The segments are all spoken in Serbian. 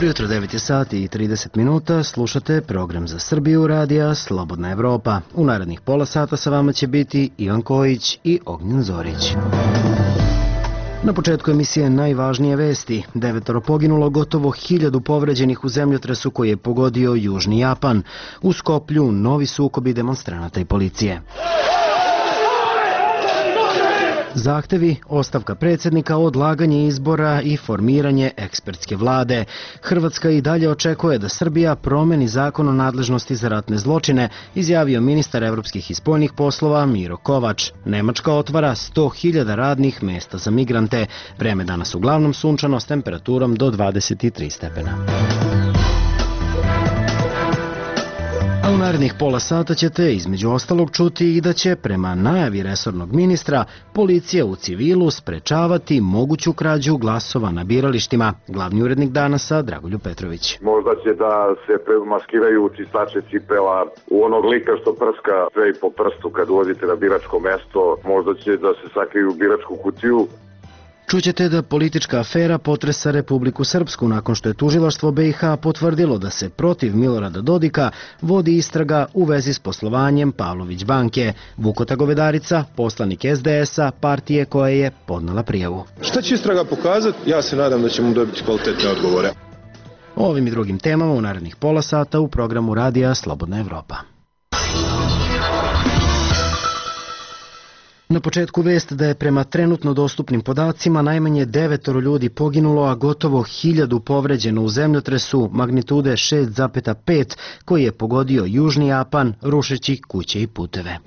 Dobro jutro, 9 je sati i 30 minuta, slušate program za Srbiju radija Slobodna Evropa. U narednih pola sata sa vama će biti Ivan Kojić i Ognjen Zorić. Na početku emisije najvažnije vesti. 9 poginulo, gotovo 1000 povređenih u zemljotresu koji je pogodio Južni Japan. U Skoplju novi sukobi demonstranata i policije. Zahtevi, ostavka predsjednika, odlaganje izbora i formiranje ekspertske vlade. Hrvatska i dalje očekuje da Srbija promeni zakon o nadležnosti za ratne zločine, izjavio ministar evropskih i spoljnih poslova Miro Kovač. Nemačka otvara 100.000 radnih mesta za migrante. Vreme danas uglavnom sunčano s temperaturom do 23 stepena. A u narednih pola sata ćete između ostalog čuti i da će, prema najavi resornog ministra, policija u civilu sprečavati moguću krađu glasova na biralištima. Glavni urednik Danasa Dragoljub Petrović. Možda će da se maskiraju čistače cipela u onog lika što prska sve i po prstu kad ulazite na biračko mesto. Možda će da se sakriju u biračku kutiju. Čućete da politička afera potresa Republiku Srpsku nakon što je tužilaštvo BiH potvrdilo da se protiv Milorada Dodika vodi istraga u vezi s poslovanjem Pavlović banke. Vukota Govedarica, poslanik SDS-a, partije koja je podnela prijavu. Šta će istraga pokazati? Ja se nadam da ćemo dobiti kvalitetne odgovore. O ovim i drugim temama u narednih pola sata u programu radija Slobodna Evropa. Na početku vest da je prema trenutno dostupnim podacima najmanje 9 ljudi poginulo, a gotovo 1000 povređeno u zemljotresu magnitude 6,5 koji je pogodio Južni Japan rušeći kuće i puteve.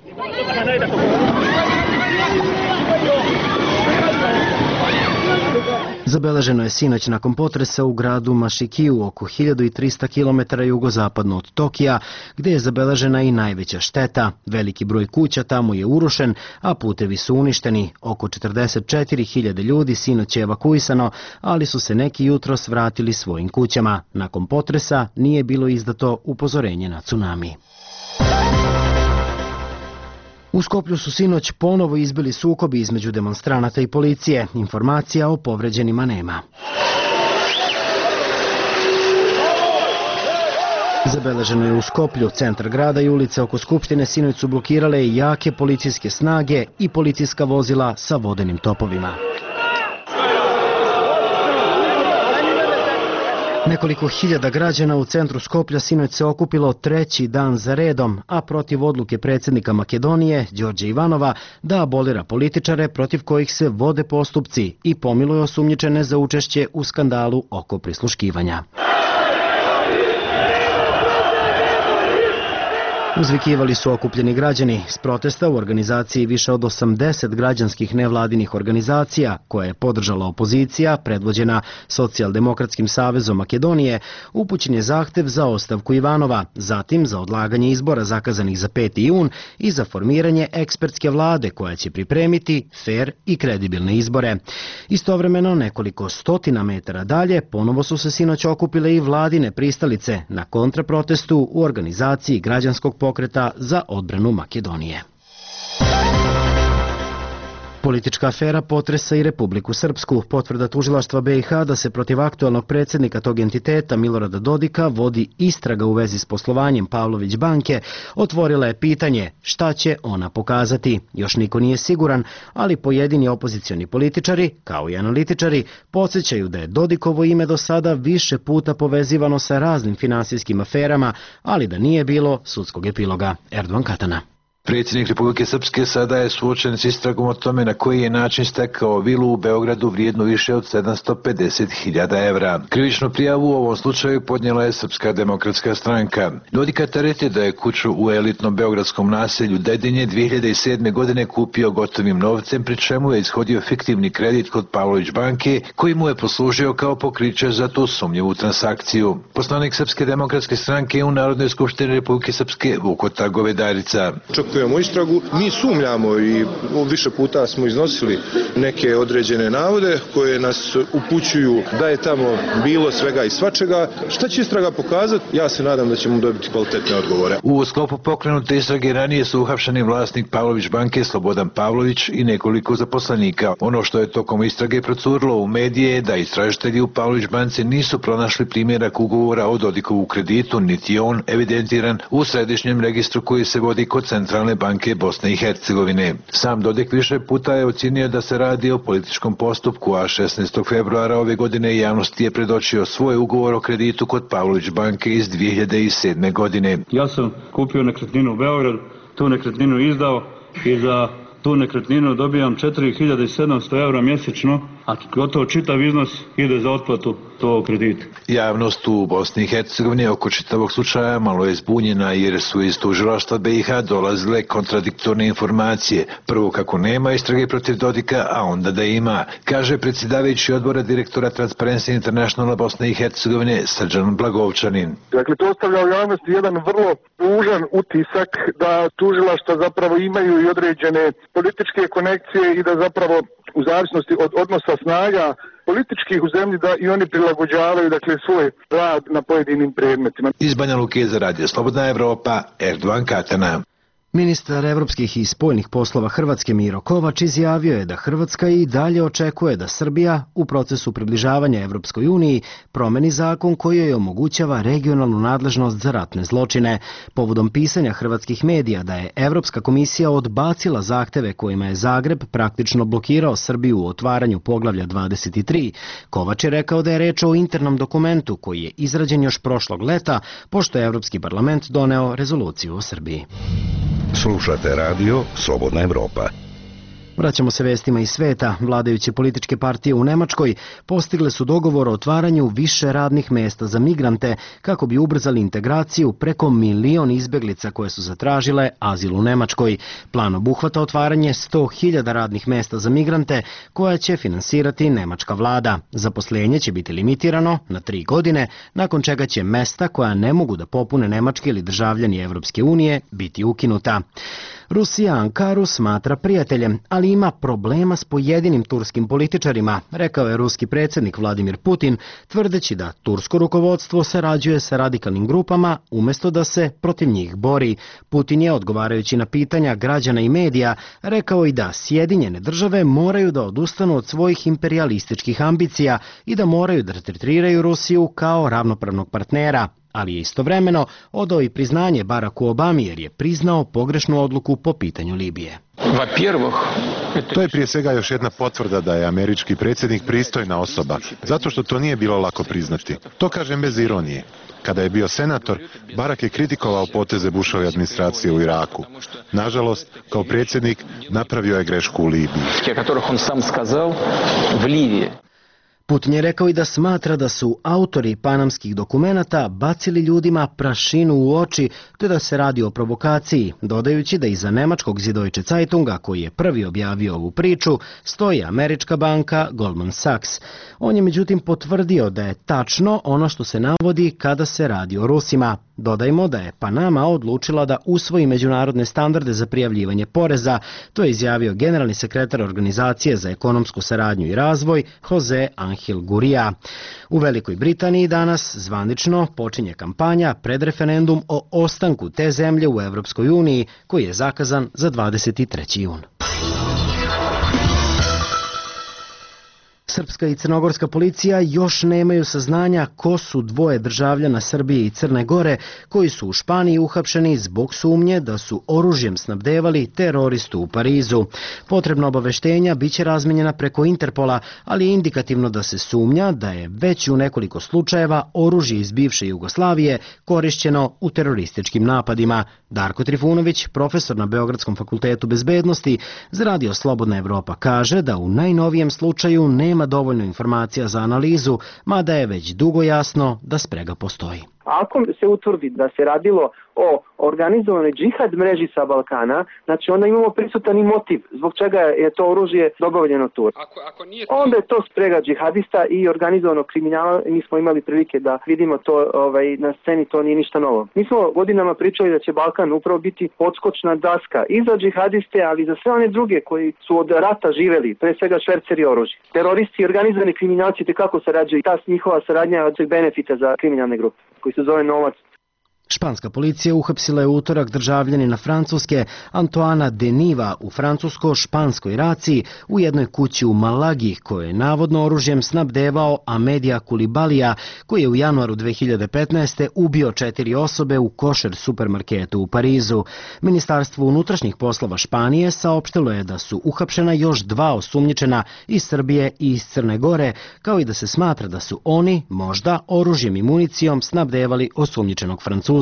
Zabeleženo je sinoć nakon potresa u gradu Mašikiju, oko 1300 km jugozapadno od Tokija, gdje je zabeležena i najveća šteta. Veliki broj kuća tamo je urušen, a putevi su uništeni. Oko 44.000 ljudi sinoć je evakuisano, ali su se neki jutros vratili svojim kućama. Nakon potresa nije bilo izdato upozorenje na tsunami. U Skoplju su sinoć ponovo izbili sukobi između demonstranata i policije. Informacija o povređenima nema. Zabeleženo je u Skoplju, centar grada i ulice oko Skupštine sinoć su blokirale jake policijske snage i policijska vozila sa vodenim topovima. Nekoliko hiljada građana u centru Skoplja sinoć se okupilo treći dan za redom, a protiv odluke predsjednika Makedonije, Đorđa Ivanova, da abolira političare protiv kojih se vode postupci i pomiluje osumnjičene za učešće u skandalu oko prisluškivanja. Uzvikivali su okupljeni građani s protesta u organizaciji više od 80 građanskih nevladinih organizacija koje je podržala opozicija, predvođena Socijaldemokratskim savezom Makedonije, upućen je zahtev za ostavku Ivanova, zatim za odlaganje izbora zakazanih za 5. jun i za formiranje ekspertske vlade koja će pripremiti fer i kredibilne izbore. Istovremeno, nekoliko stotina metara dalje, ponovo su se sinoć okupile i vladine pristalice na kontraprotestu u organizaciji građanskog pokreta za odbranu Makedonije. Politička afera potresa i Republiku Srpsku. Potvrda tužilaštva BiH da se protiv aktualnog predsjednika tog entiteta Milorada Dodika vodi istraga u vezi s poslovanjem Pavlović banke otvorila je pitanje šta će ona pokazati. Još niko nije siguran, ali pojedini opozicioni političari, kao i analitičari, podsjećaju da je Dodikovo ime do sada više puta povezivano sa raznim finansijskim aferama, ali da nije bilo sudskog epiloga. Erdogan Katana. Predsjednik Republike Srpske sada je suočen s istragom o tome na koji je način stekao vilu u Beogradu vrijednu više od 750.000 evra. Krivičnu prijavu u ovom slučaju podnijela je Srpska demokratska stranka. Dodika tereti da je kuću u elitnom beogradskom naselju Dedinje 2007. godine kupio gotovim novcem, pri čemu je ishodio fiktivni kredit kod Pavlović banke, koji mu je poslužio kao pokriće za tu sumnjivu transakciju. Poslanik Srpske demokratske stranke u Narodnoj skupštini Republike Srpske Vukota Govedarica. očekujemo istragu. Mi sumnjamo i više puta smo iznosili neke određene navode koje nas upućuju da je tamo bilo svega i svačega. Šta će istraga pokazati? Ja se nadam da ćemo dobiti kvalitetne odgovore. U sklopu pokrenute istrage ranije su uhapšeni vlasnik Pavlović banke Slobodan Pavlović i nekoliko zaposlenika. Ono što je tokom istrage procurilo u medije je da istražitelji u Pavlović banci nisu pronašli primjerak ugovora o Dodikovu kreditu, niti je on evidentiran u središnjem registru koji se vodi kod Centralne banke Bosne i Hercegovine. Sam Dodik više puta je ocjenio da se radi o političkom postupku, a 16. februara ove godine javnosti je predočio svoj ugovor o kreditu kod Pavlović banke iz 2007. godine. Ja sam kupio nekretninu u Beogradu, tu nekretninu izdao i za tu nekretninu dobijam 4700 eura mjesečno, a gotovo čitav iznos ide za otplatu tog kredita. Javnost u Bosni i Hercegovini oko čitavog slučaja malo je zbunjena jer su iz tužilaštva BiH dolazile kontradiktorne informacije. Prvo kako nema istrage protiv Dodika, a onda da ima, kaže predsjedavajući odbora direktora Transparency Internationala Bosne i Hercegovine Srđan Blagovčanin. Dakle, to ostavlja u javnosti jedan vrlo tužan utisak da tužilaštva zapravo imaju i određene političke konekcije i da zapravo u zavisnosti od odnosa snaga političkih u zemlji da i oni prilagođavaju svoj rad na pojedinim predmetima. Iz Banja Luke za Radio Slobodna Evropa, Erdogan Katana. Ministar evropskih i spoljnih poslova Hrvatske Miro Kovač izjavio je da Hrvatska i dalje očekuje da Srbija u procesu približavanja Evropskoj uniji promeni zakon koji joj omogućava regionalnu nadležnost za ratne zločine. Povodom pisanja hrvatskih medija da je Evropska komisija odbacila zahteve kojima je Zagreb praktično blokirao Srbiju u otvaranju poglavlja 23, Kovač je rekao da je reč o internom dokumentu koji je izrađen još prošlog leta, pošto je Evropski parlament doneo rezoluciju o Srbiji. Slušate radio Slobodna Evropa. Vraćamo se vestima iz sveta. Vladajuće političke partije u Nemačkoj postigle su dogovor o otvaranju više radnih mesta za migrante kako bi ubrzali integraciju preko 1 milion izbeglica koje su zatražile azil u Nemačkoj. Plan obuhvata otvaranje 100.000 radnih mesta za migrante koja će finansirati nemačka vlada. Zaposlenje će biti limitirano na 3 godine, nakon čega će mesta koja ne mogu da popune nemački ili državljani Evropske unije biti ukinuta. Rusija Ankaru smatra prijateljem, ali ima problema s pojedinim turskim političarima, rekao je ruski predsjednik Vladimir Putin, tvrdeći da tursko rukovodstvo sarađuje sa radikalnim grupama umjesto da se protiv njih bori. Putin je, odgovarajući na pitanja građana i medija, rekao i da Sjedinjene države moraju da odustanu od svojih imperialističkih ambicija i da moraju da tretiraju Rusiju kao ravnopravnog partnera, ali je istovremeno odao i priznanje Baracku Obami jer je priznao pogrešnu odluku po pitanju Libije. To je prije svega još jedna potvrda da je američki predsjednik pristojna osoba, zato što to nije bilo lako priznati. To kažem bez ironije. Kada je bio senator, Barack je kritikovao poteze Bushove administracije u Iraku. Nažalost, kao predsjednik napravio je grešku u Libiji. Putin je rekao i da smatra da su autori panamskih dokumenata bacili ljudima prašinu u oči, te da se radi o provokaciji, dodajući da iza nemačkog Süddeutsche Zeitunga, koji je prvi objavio ovu priču, stoji američka banka Goldman Sachs. On je međutim potvrdio da je tačno ono što se navodi kada se radi o Rusima. Dodajmo da je Panama odlučila da usvoji međunarodne standarde za prijavljivanje poreza, to je izjavio generalni sekretar Organizacije za ekonomsku saradnju i razvoj Jose Angel Gurria. U Velikoj Britaniji danas zvanično počinje kampanja pred referendum o ostanku te zemlje u Evropskoj uniji, koji je zakazan za 23. jun. Srpska i crnogorska policija još nemaju saznanja ko su dvoje državljana Srbije i Crne Gore koji su u Španiji uhapšeni zbog sumnje da su oružjem snabdevali teroristu u Parizu. Potrebna obaveštenja biće razmenjena preko Interpola, ali je indikativno da se sumnja da je već u nekoliko slučajeva oružje iz bivše Jugoslavije korišćeno u terorističkim napadima. Darko Trifunović, profesor na Beogradskom fakultetu bezbednosti za Radio Slobodna Evropa, kaže da u najnovijem slučaju nema dovoljno informacija za analizu, mada je već dugo jasno da sprega postoji. Ako se utvrdi da se radilo o organizovanoj džihad mreži sa Balkana, znači onda imamo prisutan i motiv zbog čega je to oružje dobavljeno tu. Onda je to sprega džihadista i organizovanog kriminala. Mi smo imali prilike da vidimo to na sceni, to nije ništa novo. Mi smo godinama pričali da će Balkan upravo biti odskočna daska i za džihadiste, ali i za sve one druge koji su od rata živeli, pre svega šverceri oružja. Teroristi i organizovani kriminalci kako sarađuju, ta njihova saradnja od benefita za kriminalne grupe koji se zove novac. Španska policija uhapsila je utorak državljanina Francuske Antoana Deniva u francusko-španskoj raciji u jednoj kući u Malagi, koje je navodno oružjem snabdevao Amedija Kulibalija, koji je u januaru 2015. ubio 4 osobe u košer supermarketu u Parizu. Ministarstvo unutrašnjih poslova Španije saopštilo je da su uhapšena još 2 osumnjičena iz Srbije i iz Crne Gore, kao i da se smatra da su oni možda oružjem i municijom snabdevali osumnjičenog Francuza.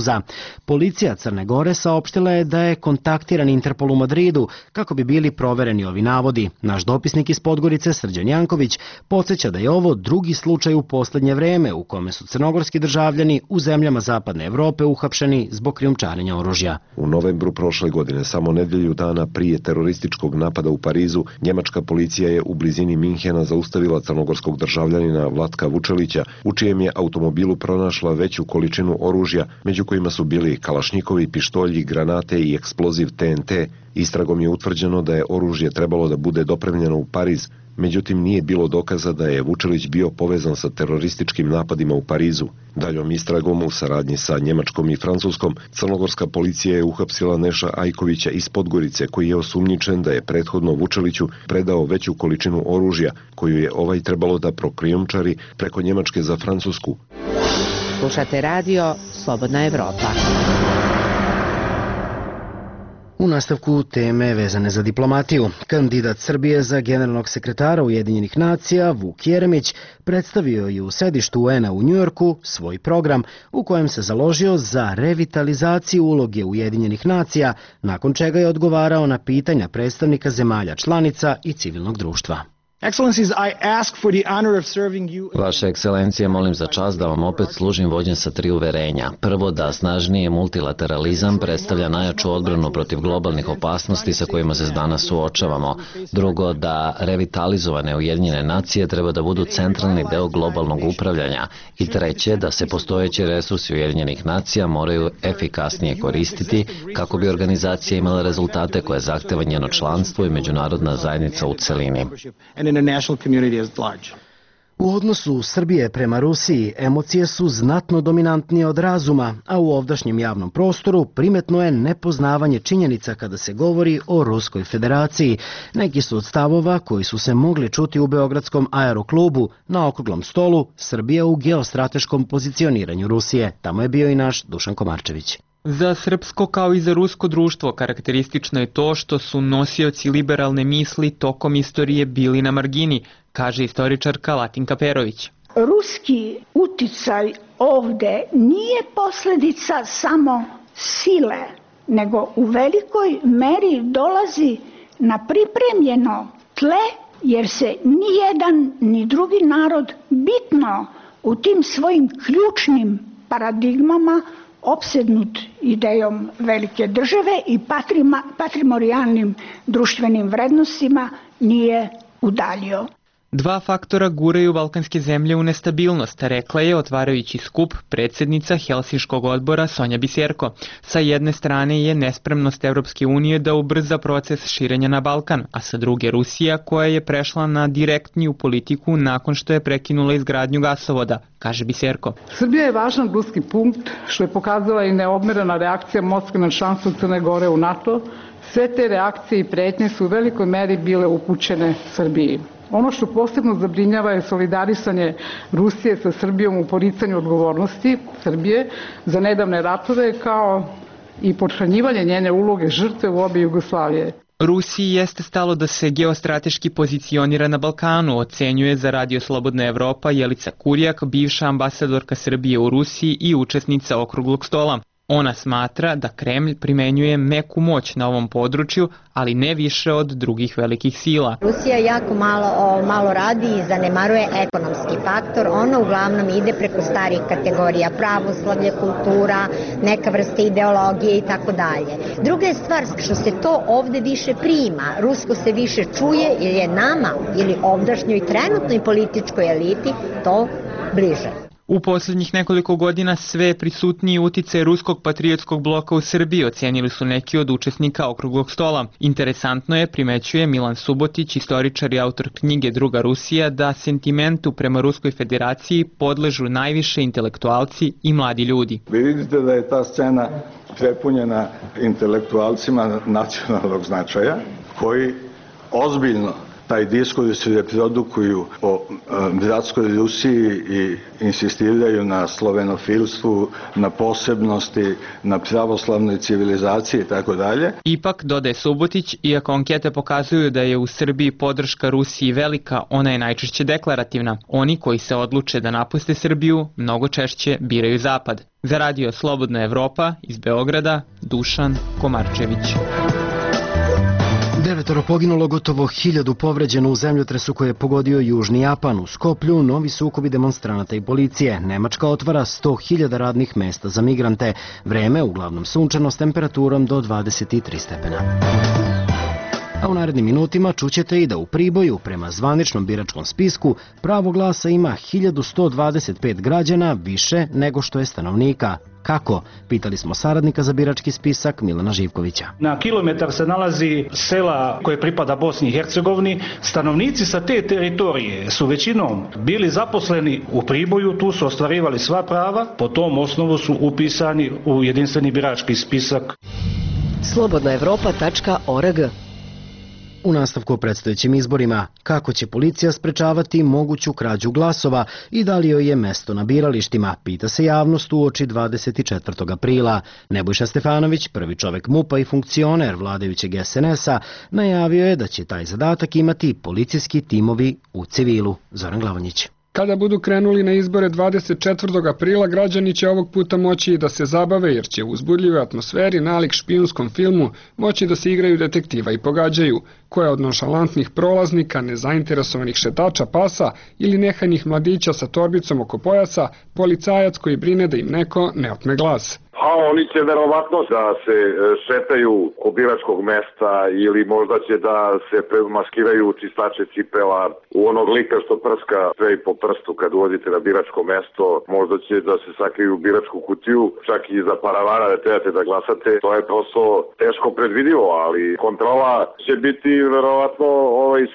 Policija Crne Gore saopštila je da je kontaktiran Interpol u Madridu kako bi bili provereni ovi navodi. Naš dopisnik iz Podgorice, Srđan Janković, podsjeća da je ovo drugi slučaj u poslednje vreme u kome su crnogorski državljani u zemljama Zapadne Evrope uhapšeni zbog krijumčarenja oružja. U novembru prošle godine, samo nedelju dana prije terorističkog napada u Parizu, njemačka policija je u blizini Minhena zaustavila crnogorskog državljanina Vlatka Vučelića, u čijem je automobilu pronašla veću količinu oružja, među kojima su bili kalašnjikovi, pištolji, granate i eksploziv TNT. Istragom je utvrđeno da je oružje trebalo da bude dopremljeno u Pariz, međutim nije bilo dokaza da je Vučelić bio povezan sa terorističkim napadima u Parizu. Daljom istragom u saradnji sa Njemačkom i Francuskom, crnogorska policija je uhapsila Neša Ajkovića iz Podgorice, koji je osumnjičen da je prethodno Vučeliću predao veću količinu oružja, koju je ovaj trebalo da prokrijumčari preko Njemačke za Francusku. Slušate radio Slobodna Evropa. U nastavku teme vezane za diplomatiju, kandidat Srbije za generalnog sekretara Ujedinjenih nacija Vuk Jeremić predstavio je u sedištu UN-a u Njujorku svoj program u kojem se založio za revitalizaciju uloge Ujedinjenih nacija, nakon čega je odgovarao na pitanja predstavnika zemalja članica i civilnog društva. Vaša ekscelencija, molim za čast da vam opet služim vođen sa 3 uverenja. Prvo, da snažniji multilateralizam predstavlja najjaču odbranu protiv globalnih opasnosti sa kojima se danas suočavamo. Drugo, da revitalizovane Ujedinjene nacije treba da budu centralni deo globalnog upravljanja. I treće, da se postojeći resursi Ujedinjenih nacija moraju efikasnije koristiti kako bi organizacija imala rezultate koje zahteva njeno članstvo i međunarodna zajednica u celini. U odnosu Srbije prema Rusiji emocije su znatno dominantnije od razuma, a u ovdašnjem javnom prostoru primetno je nepoznavanje činjenica kada se govori o Ruskoj federaciji. Neki su od stavova koji su se mogli čuti u Beogradskom aeroklubu na okruglom stolu Srbija u geostrateškom pozicioniranju Rusije. Tamo je bio i naš Dušan Komarčević. Za srpsko kao i za rusko društvo karakteristično je to što su nosioci liberalne misli tokom istorije bili na margini, kaže istoričarka Latinka Perović. Ruski uticaj ovde nije posledica samo sile, nego u velikoj meri dolazi na pripremljeno tle, jer se ni jedan ni drugi narod bitno u tim svojim ključnim paradigmama opsednut idejom velike države i patrimonijalnim društvenim vrednostima nije udaljio. 2 faktora guraju balkanske zemlje u nestabilnost, rekla je otvarajući skup predsjednica Helsinškog odbora Sonja Biserko. Sa jedne strane je nespremnost Evropske unije da ubrza proces širenja na Balkan, a sa druge Rusija koja je prešla na direktniju politiku nakon što je prekinula izgradnju gasovoda, kaže Biserko. Srbija je važan ruski punkt što je pokazala i neodmerena reakcija Moskve na članstvo Crne Gore u NATO. Sve te reakcije i pretnje su u velikoj meri bile upućene Srbiji. Ono što posebno zabrinjava je solidarisanje Rusije sa Srbijom u poricanju odgovornosti Srbije za nedavne ratove, kao i pothranjivanje njene uloge žrtve u obe Jugoslavije. Rusiji jeste stalo da se geostrateški pozicionira na Balkanu, ocenjuje za Radio Slobodna Evropa Jelica Kurjak, bivša ambasadorka Srbije u Rusiji i učesnica okruglog stola. Ona smatra da Kremlj primenjuje meku moć na ovom području, ali ne više od drugih velikih sila. Rusija jako malo radi i zanemaruje ekonomski faktor. Ona uglavnom ide preko starih kategorija, pravoslavlje, kultura, neka vrsta ideologije i tako dalje. Druga je stvar što se to ovde više prima. Rusko se više čuje jer je nama ili ovdašnjoj trenutnoj političkoj eliti to bliže. U posljednjih nekoliko godina sve prisutniji uticaj ruskog patriotskog bloka u Srbiji ocenili su neki od učesnika okruglog stola. Interesantno je, primećuje Milan Subotić, istoričar i autor knjige Druga Rusija, da sentimentu prema Ruskoj federaciji podležu najviše intelektualci i mladi ljudi. Vi vidite da je ta scena prepunjena intelektualcima nacionalnog značaja koji ozbiljno taj diskurs reprodukuju o bratskoj Rusiji i insistiraju na slovenofilstvu, na posebnosti, na pravoslavnoj civilizaciji i tako dalje. Ipak, dodaje Subotić, iako ankete pokazuju da je u Srbiji podrška Rusiji velika, ona je najčešće deklarativna. Oni koji se odluče da napuste Srbiju mnogo češće biraju Zapad. Za radio Slobodna Evropa iz Beograda, Dušan Komarčević. 9 poginulo, gotovo 1000 povređeno u zemljotresu koji je pogodio Južni Japan. U Skoplju novi sukobi demonstranata i policije. Nemačka otvara 100.000 radnih mesta za migrante. Vreme uglavnom sunčano s temperaturom do 23 stepena. A u narednim minutima čućete i da u Priboju, prema zvaničnom biračkom spisku, pravo glasa ima 1125 građana više nego što je stanovnika. Kako? Pitali smo saradnika za birački spisak Milana Živkovića. Na kilometar se nalazi sela koje pripada Bosni i Hercegovini. Stanovnici sa te teritorije su većinom bili zaposleni u Priboju, tu su ostvarivali sva prava, po tom osnovu su upisani u jedinstveni birački spisak. Slobodnaevropa.org. U nastavku o predstojećim izborima, kako će policija sprečavati moguću krađu glasova i da li joj je mesto na biralištima, pita se javnost uoči 24. aprila. Nebojša Stefanović, prvi čovek MUP-a i funkcioner vladajućeg SNS-a, najavio je da će taj zadatak imati policijski timovi u civilu. Zoran Glavonjić. Kada budu krenuli na izbore 24. aprila, građani će ovog puta moći i da se zabave, jer će u uzbudljivoj atmosferi nalik špijunskom filmu moći da se igraju detektiva i pogađaju, koja od nonšalantnih prolaznika, nezainteresovanih šetača pasa ili nehanih mladića sa torbicom oko pojasa, policajac koji brine da im neko ne otme glas. A oni će verovatno da se šetaju oko biračkog mesta ili možda će da se maskiraju čistače cipela u onog lika što prska sve i po prstu kad ulazite na biračko mesto. Možda će da se sakriju u biračku kutiju, čak i za paravana da trebate da glasate. To je prosto teško predvidivo, ali kontrola će biti verovatno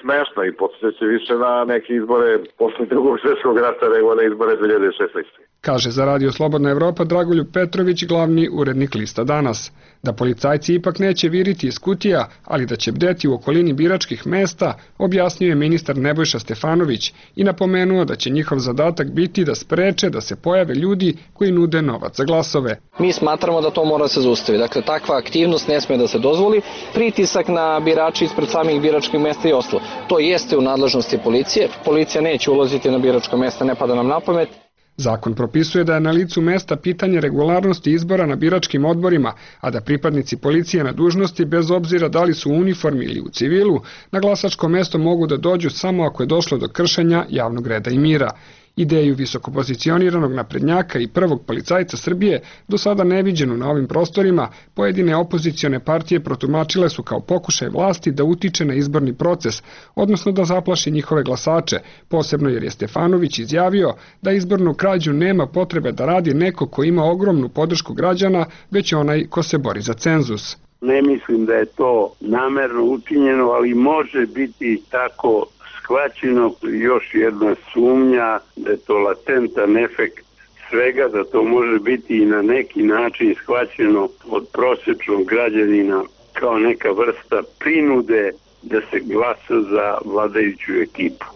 smešna i podsjeća više na neke izbore posle Drugog svjetskog rata nego na izbore 2016. Kaže za radio Slobodna Evropa Dragoljub Petrović, glavni urednik lista Danas. Da policajci ipak neće viriti iz kutija, ali da će bdeti u okolini biračkih mesta, objasnio je ministar Nebojša Stefanović i napomenuo da će njihov zadatak biti da spreče da se pojave ljudi koji nude novac za glasove. Mi smatramo da to mora se zaustavi. Dakle, takva aktivnost ne sme da se dozvoli. Pritisak na birači ispred samih biračkih mesta i ostalo. To jeste u nadležnosti policije. Policija neće ulaziti na biračko mesta, ne pada nam na pamet. Zakon propisuje da je na licu mesta pitanje regularnosti izbora na biračkim odborima, a da pripadnici policije na dužnosti, bez obzira da li su u uniformi ili u civilu, na glasačko mesto mogu da dođu samo ako je došlo do kršenja javnog reda i mira. Ideju visokopozicioniranog naprednjaka i prvog policajca Srbije, do sada neviđenu na ovim prostorima, pojedine opozicione partije protumačile su kao pokušaj vlasti da utiče na izborni proces, odnosno da zaplaši njihove glasače, posebno jer je Stefanović izjavio da izbornu krađu nema potrebe da radi neko ko ima ogromnu podršku građana, već onaj ko se bori za cenzus. Ne mislim da je to namerno učinjeno, ali može biti tako shvaćeno. Još jedna sumnja da je to latentan efekt svega, da to može biti i na neki način shvaćeno od prosječnog građanina kao neka vrsta prinude da se glasa za vladajuću ekipu.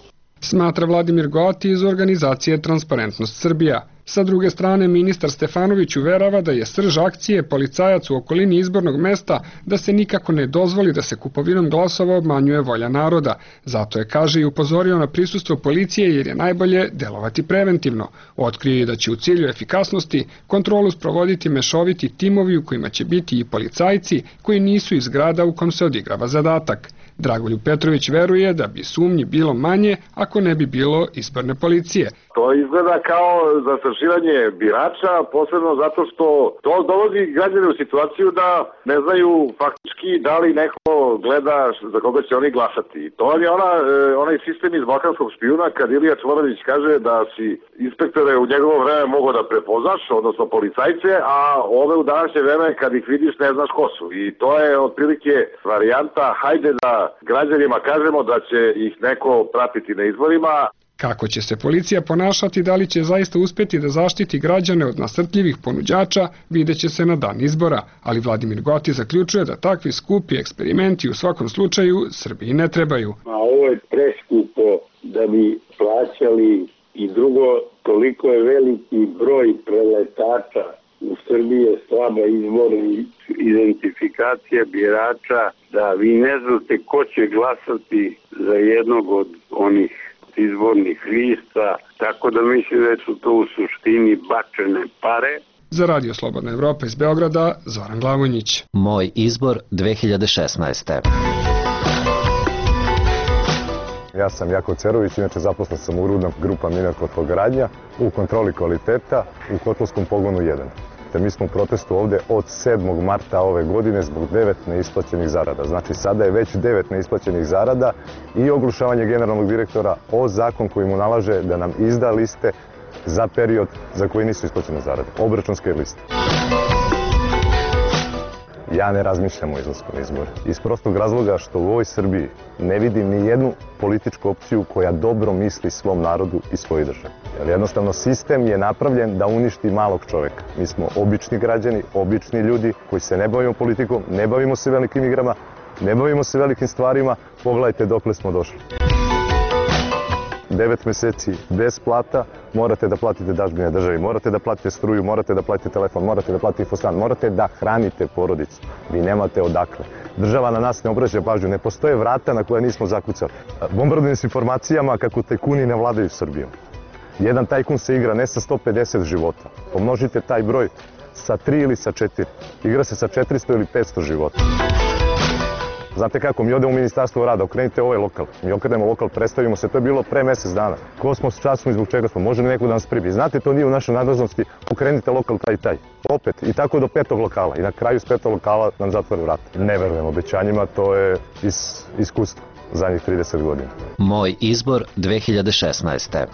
smatra Vladimir Goati iz organizacije Transparentnost Srbija. Sa druge strane, ministar Stefanović uverava da je srž akcije policajac u okolini izbornog mesta da se nikako ne dozvoli da se kupovinom glasova obmanjuje volja naroda. Zato je, kaže, i upozorio na prisustvo policije jer je najbolje delovati preventivno. Otkrio je da će u cilju efikasnosti kontrolu sprovoditi mešoviti timovi u kojima će biti i policajci koji nisu iz grada u kom se odigrava zadatak. Dragoljub Petrović veruje da bi sumnji bilo manje ako ne bi bilo izborne policije. To izgleda kao zastrašivanje birača, posebno zato što to dovodi građane u situaciju da ne znaju faktički da li neko gleda za koga će oni glasati. To je onaj sistem iz balkanskog špijuna kad Ilija Čvorović kaže da si inspektore u njegovo vreme mogo da prepoznaš, odnosno policajce, a ove u današnje vreme kad ih vidiš ne znaš ko su. I to je otprilike varijanta, hajde da građanima kažemo da će ih neko pratiti na izborima. Kako će se policija ponašati, da li će zaista uspeti da zaštiti građane od nasrtljivih ponuđača, vidjet će se na dan izbora, ali Vladimir Goati zaključuje da takvi skupi eksperimenti u svakom slučaju Srbiji ne trebaju. A ovo je preskupo da bi plaćali i drugo, toliko je veliki broj preletača. U Srbiji je slaba izborna identifikacija birača da vi ne znate ko će glasati za jednog od onih izbornih lista, tako da mislim da su to u suštini bačene pare. Za Radio Slobodna Evropa iz Beograda, Zoran Glavonjić. Moj izbor 2016. Ja sam Jakov Cerović, inače zaposlen sam u Rudna grupa Miner Kotlogradnja u kontroli kvaliteta u Kotlovskom pogonu 1. Mi smo u protestu ovde od 7. marta ove godine zbog 9 neisplaćenih zarada. Znači sada je već 9 neisplaćenih zarada i oglušavanje generalnog direktora o zakon koji mu nalaže da nam izda liste za period za koji nisu isplaćene zarade. Obračunske liste. Ja ne razmišljam o izlasku na izbore. Iz prostog razloga što u ovoj Srbiji ne vidim ni jednu političku opciju koja dobro misli svom narodu i svojoj državi. Jer jednostavno sistem je napravljen da uništi malog čoveka. Mi smo obični građani, obični ljudi koji se ne bavimo politikom, ne bavimo se velikim igrama, ne bavimo se velikim stvarima. Pogledajte dokle smo došli. 9 meseci bez plata, morate da platite dažbine državi, morate da platite struju, morate da platite telefon, morate da platite infostan, morate da hranite porodicu. Vi nemate odakle. Država na nas ne obraća pažnju, ne postoje vrata na koje nismo zakucali. Bombardujem s informacijama kako tajkuni ne vladaju Srbijom. Jedan tajkun se igra ne sa 150 života. Pomnožite taj broj sa 3 ili sa 4. Igra se sa 400 ili 500 života. Znate kako, mi odemo u Ministarstvo rada, okrenite ovaj lokal. Mi okrenemo lokal, predstavimo se, to je bilo pre mesec dana. Ko smo, šta smo i zbog čega smo, može li neko da nas pribi? Znate, to nije u našoj nadležnosti, okrenite lokal taj i taj. Opet, i tako do 5. lokala. I na kraju s 5. lokala nam zatvore vrata. Ne verujem obećanjima, to je iz iskustva zadnjih 30 godina. Moj izbor 2016.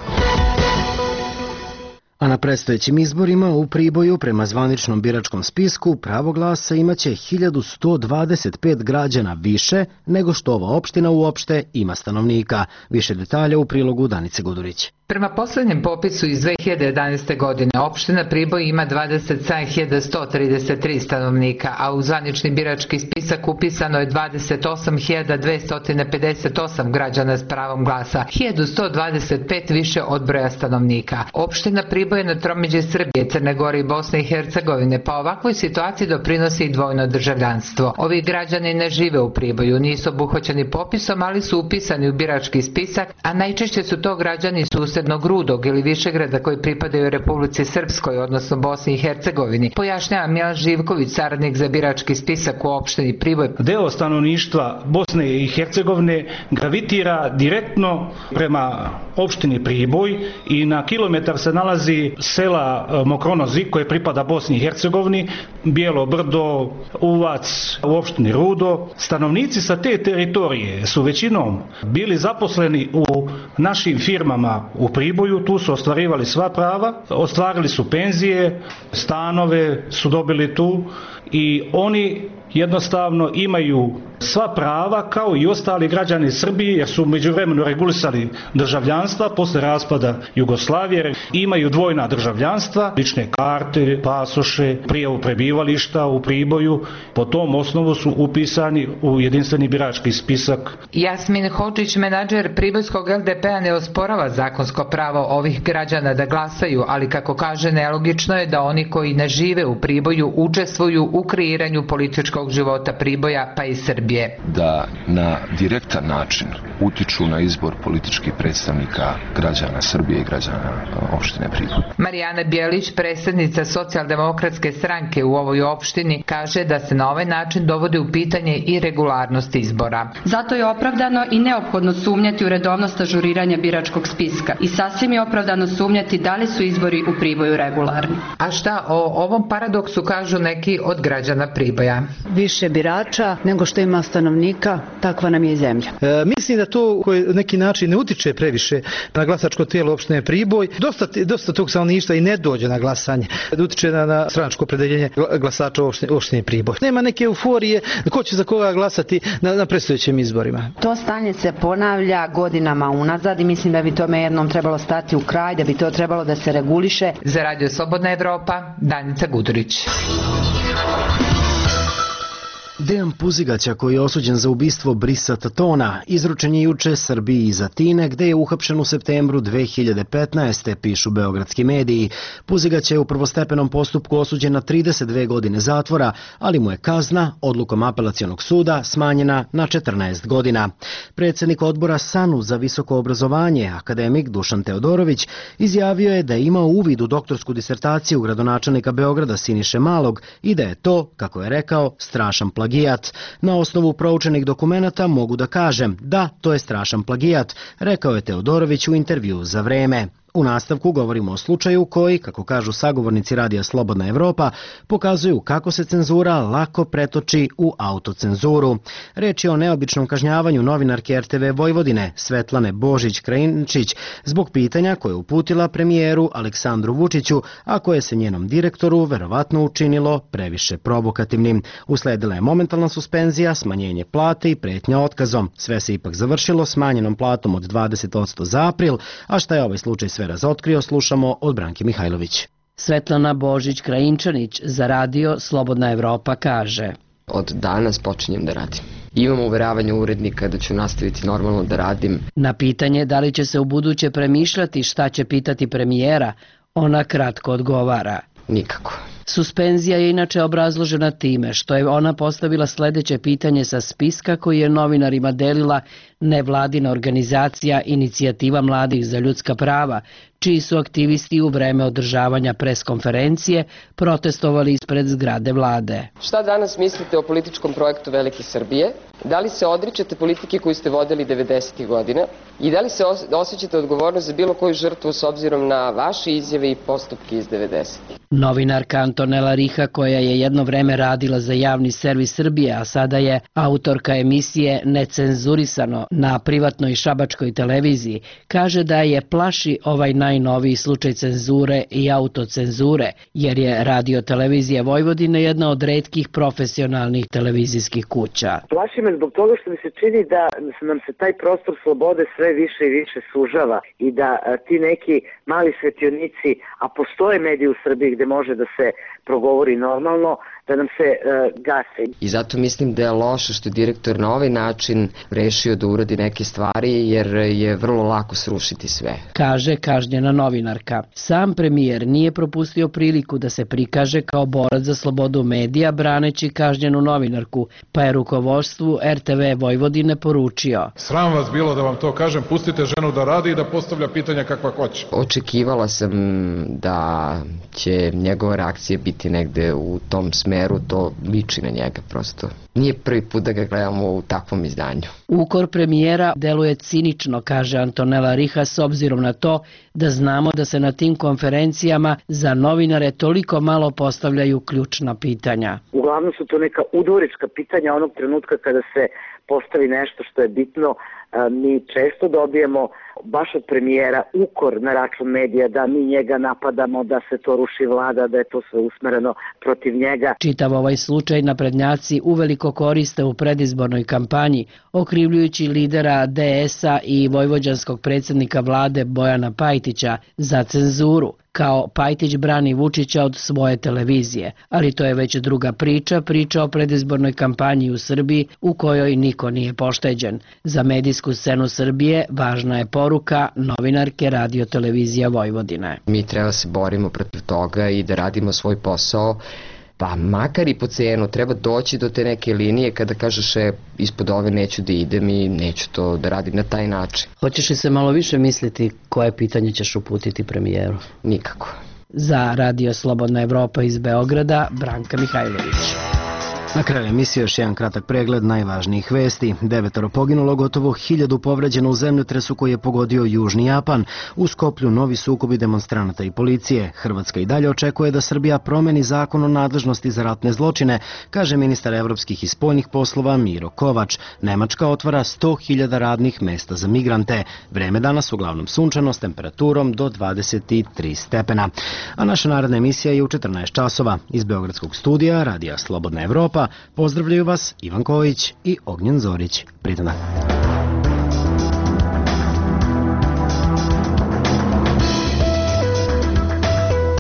A na predstojećim izborima u Priboju prema zvaničnom biračkom spisku pravo glasa imaće 1125 građana više nego što ova opština uopšte ima stanovnika. Više detalja u prilogu Danice Gudurić. Prema poslednjem popisu iz 2011. godine opština Priboj ima 27.133 stanovnika, a u zvanični birački spisak upisano je 28.258 građana s pravom glasa, 1125 više od broja stanovnika. Opština Priboj je na tromeđi Srbije, Crne Gore i Bosne i Hercegovine, pa ovakvoj situaciji doprinosi i dvojno državljanstvo. Ovi građani ne žive u Priboju, nisu obuhvaćeni popisom, ali su upisani u birački spisak, a najčešće su to građani susednog Rudog ili Višegrada koji pripadaju Republici Srpskoj, odnosno Bosni i Hercegovini, pojašnjava Milan Živković, saradnik za birački spisak u opštini Priboj. Deo stanovništva Bosne i Hercegovine gravitira direktno prema opštini Priboj i na kilometar se nalazi sela Mokronozi koje pripada Bosni i Hercegovini, Bijelo Brdo, Uvac u opštini Rudo. Stanovnici sa te teritorije su većinom bili zaposleni u našim firmama u Priboju, tu su ostvarivali sva prava, ostvarili su penzije, stanove su dobili tu i oni jednostavno imaju sva prava kao i ostali građani Srbije jer su međuvremeno regulisali državljanstva posle raspada Jugoslavije, imaju dvojna državljanstva, lične karte, pasoše, prijavu prebivališta prebivališta u Priboju, po tom osnovu su upisani u jedinstveni birački spisak. Jasmin Hodžić, menadžer pribojskog LDP-a, ne osporava zakonsko pravo ovih građana da glasaju, ali kako kaže, nelogično je da oni koji ne žive u Priboju učestvuju u kreiranju političkog života Priboja pa i Srbije. Da na direktan način utiču na izbor političkih predstavnika građana Srbije i građana opštine Priboj. Marijana Bjelić, predsjednica Socijaldemokratske stranke u ovoj opštini, kaže da se na ovaj način dovodi u pitanje i regularnost izbora. Zato je opravdano i neophodno sumnjati u redovnost ažuriranja biračkog spiska i sasvim je opravdano sumnjati da li su izbori u Priboju regularni. A šta o ovom paradoksu kažu neki od građana Priboja? Više birača nego što ima stanovnika, takva nam je i zemlja. Mislim da to na neki način ne utiče previše na glasačko tijelo opštine Priboj. Dosta tog stanovništva i ne dođe na glasanje. Utiče na stranačko opredeljenje glasača opštine Priboj. Nema neke euforije ko će za koga glasati na predstojećim izborima. To stanje se ponavlja godinama unazad i mislim da bi tome jednom trebalo stati u kraj, da bi to trebalo da se reguliše. Za Radio Slobodna Evropa, Danica Gudurić. Dejan Puzigaća, koji je osuđen za ubistvo Brisa Tatona, izručen je juče Srbiji iz Atine, gde je uhapšen u septembru 2015. pišu beogradski mediji. Puzigać je u prvostepenom postupku osuđen na 32 godine zatvora, ali mu je kazna odlukom apelacionog suda smanjena na 14 godina. Predsjednik odbora SANU za visoko obrazovanje, akademik Dušan Teodorović, izjavio je da je imao uvid u doktorsku disertaciju gradonačelnika Beograda Siniše Malog i da je to, kako je rekao, strašan plagijat. Na osnovu proučenih dokumenata mogu da kažem da, to je strašan plagijat, rekao je Teodorović u intervju za Vreme. U nastavku govorimo o slučaju koji, kako kažu sagovornici Radija Slobodna Evropa, pokazuju kako se cenzura lako pretoči u autocenzuru. Reč je o neobičnom kažnjavanju novinarke RTV Vojvodine Svetlane Božić-Krajinčić zbog pitanja koje je uputila premijeru Aleksandru Vučiću, a koje se njenom direktoru verovatno učinilo previše provokativnim. Usledila je momentalna suspenzija, smanjenje plate i pretnja otkazom. Sve se ipak završilo smanjenom platom od 20% za april, a šta je ovaj slučaj sve razotkrio, slušamo od Branke Mihajlović. Svetlana Božić-Krajinčanić za Radio Slobodna Evropa kaže: Od danas počinjem da radim. Imam uveravanje urednika da ću nastaviti normalno da radim. Na pitanje da li će se u buduće premišljati šta će pitati premijera, ona kratko odgovara: nikako. Suspenzija je inače obrazložena time što je ona postavila sledeće pitanje sa spiska koji je novinarima delila nevladina organizacija Inicijativa mladih za ljudska prava, čiji su aktivisti u vreme održavanja preskonferencije protestovali ispred zgrade vlade. Šta danas mislite o političkom projektu Velike Srbije? Da li se odričete politike koju ste vodili 90. godina? I da li se osjećate odgovornost za bilo koju žrtvu s obzirom na vaše izjave i postupke iz 90. Novinarka Antonela Riha, koja je jedno vreme radila za javni servis Srbije, a sada je autorka emisije Necenzurisano na privatnoj šabačkoj televiziji, kaže da je plaši ovaj najnoviji slučaj cenzure i autocenzure, jer je Radio-televizija Vojvodine jedna od retkih profesionalnih televizijskih kuća. Plaši me zbog toga što mi se čini da nam se taj prostor slobode sve više i više sužava i da ti neki mali svetionici, a postoje mediji u Srbiji gde može da se progovori normalno, da nam se gase. I zato mislim da je loše što je direktor na ovaj način rešio da uradi neke stvari, jer je vrlo lako srušiti sve. Kaže kažnjena novinarka. Sam premijer nije propustio priliku da se prikaže kao borac za slobodu medija braneći kažnjenu novinarku, pa je rukovodstvu RTV Vojvodine poručio: Sram vas bilo da vam to kažem, pustite ženu da radi i da postavlja pitanja kakva hoće. Očekivala sam da će njegova reakcija biti negde u tom smeru, to liči na njega prosto. Nije prvi put da ga gledamo u takvom izdanju. Ukor premijera deluje cinično, kaže Antonela Riha, s obzirom na to da znamo da se na tim konferencijama za novinare toliko malo postavljaju ključna pitanja. Uglavnom su to neka udvorička pitanja onog trenutka kada se postavi nešto što je bitno mi često dobijemo baš od premijera ukor na račun medija da mi njega napadamo, da se to ruši vlada, da je to sve usmereno protiv njega. Čitav ovaj slučaj naprednjaci uveliko koriste u predizbornoj kampanji, okrivljujući lidera DS-a i vojvođanskog predsjednika vlade Bojana Pajtića za cenzuru, kao Pajtić brani Vučića od svoje televizije. Ali to je već druga priča o predizbornoj kampanji u Srbiji u kojoj niko nije pošteđen. Za medijsku scenu Srbije važna je poruka novinarke Radio Televizija Vojvodine. Mi treba se borimo protiv toga i da radimo svoj posao, pa makar i po cenu treba doći do te neke linije kada kažeš ispod ove neću da idem i neću to da radim na taj način. Hoćeš li se malo više misliti koje pitanje ćeš uputiti premijeru? Nikako. Za Radio Slobodna Evropa iz Beograda, Branka Mihajlović. Na kraju emisije još jedan kratak pregled najvažnijih vesti. 9 poginulo, gotovo 1000 povređeno u zemljotresu koji je pogodio Južni Japan. U Skoplju novi sukobi demonstranata i policije. Hrvatska i dalje očekuje da Srbija promeni zakon o nadležnosti za ratne zločine, kaže ministar evropskih i spoljnih poslova Miro Kovač. Nemačka otvara 100.000 radnih mesta za migrante. Vreme danas uglavnom sunčano s temperaturom do 23 stepena. A naša naredna emisija je u 14 časova. Iz Beogradskog studija Radija Slobodna Evropa pozdravljaju vas Ivan Ković i Ognjen Zorić. Prijetan dan.